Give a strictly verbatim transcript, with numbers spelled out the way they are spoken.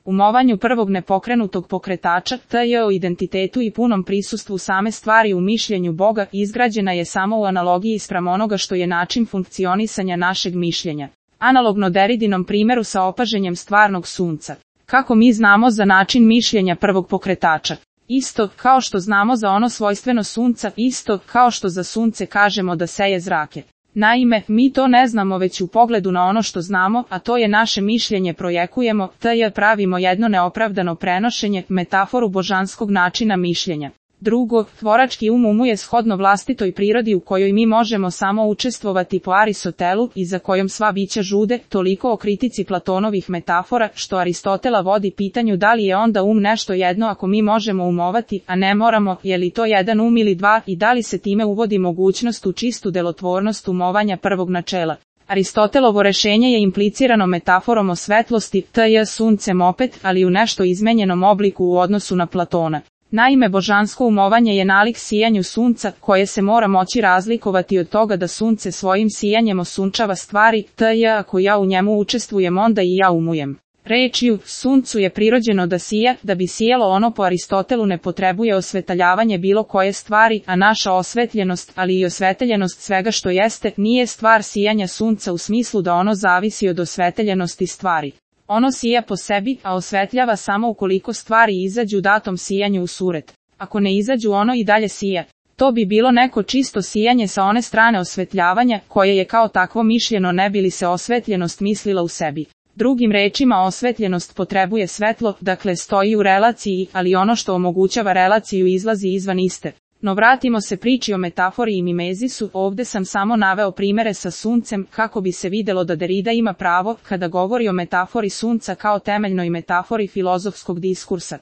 umovanju prvog nepokrenutog pokretača, te je o identitetu i punom prisustvu same stvari u mišljenju Boga, izgrađena je samo u analogiji spram onoga što je način funkcionisanja našeg mišljenja. Analogno Deridinom primjeru sa opaženjem stvarnog sunca. Kako mi znamo za način mišljenja prvog pokretača? Isto kao što znamo za ono svojstveno sunca, isto kao što za sunce kažemo da seje zrake. Naime, mi to ne znamo već u pogledu na ono što znamo, a to je naše mišljenje projekujemo, te je pravimo jedno neopravdano prenošenje, metaforu božanskog načina mišljenja. Drugo, tvorački um umuje shodno vlastitoj prirodi u kojoj mi možemo samo učestvovati po Aristotelu i za kojom sva bića žude, toliko o kritici Platonovih metafora, što Aristotela vodi pitanju da li je onda um nešto jedno ako mi možemo umovati, a ne moramo, je li to jedan um ili dva i da li se time uvodi mogućnost u čistu delotvornost umovanja prvog načela. Aristotelovo rešenje je implicirano metaforom o svetlosti, te je suncem opet, ali u nešto izmenjenom obliku u odnosu na Platona. Naime, božansko umovanje je nalik sijanju sunca, koje se mora moći razlikovati od toga da sunce svojim sijanjem osunčava stvari, te je ako ja u njemu učestvujem onda i ja umujem. Rečju, suncu je prirođeno da sija, da bi sijalo ono po Aristotelu ne potrebuje osvetaljavanje bilo koje stvari, a naša osvetljenost, ali i osveteljenost svega što jeste, nije stvar sijanja sunca u smislu da ono zavisi od osveteljenosti stvari. Ono sija po sebi, a osvetljava samo ukoliko stvari izađu datom sijanju u suret. Ako ne izađu ono i dalje sija. To bi bilo neko čisto sijanje sa one strane osvetljavanja, koje je kao takvo mišljeno ne bi li se osvetljenost mislila u sebi. Drugim rečima osvetljenost potrebuje svetlo, dakle stoji u relaciji, ali ono što omogućava relaciju izlazi izvan iste. No vratimo se priči o metafori i mimezisu, ovde sam samo naveo primere sa suncem, kako bi se videlo da Derrida ima pravo, kada govori o metafori sunca kao temeljnoj metafori filozofskog diskursa.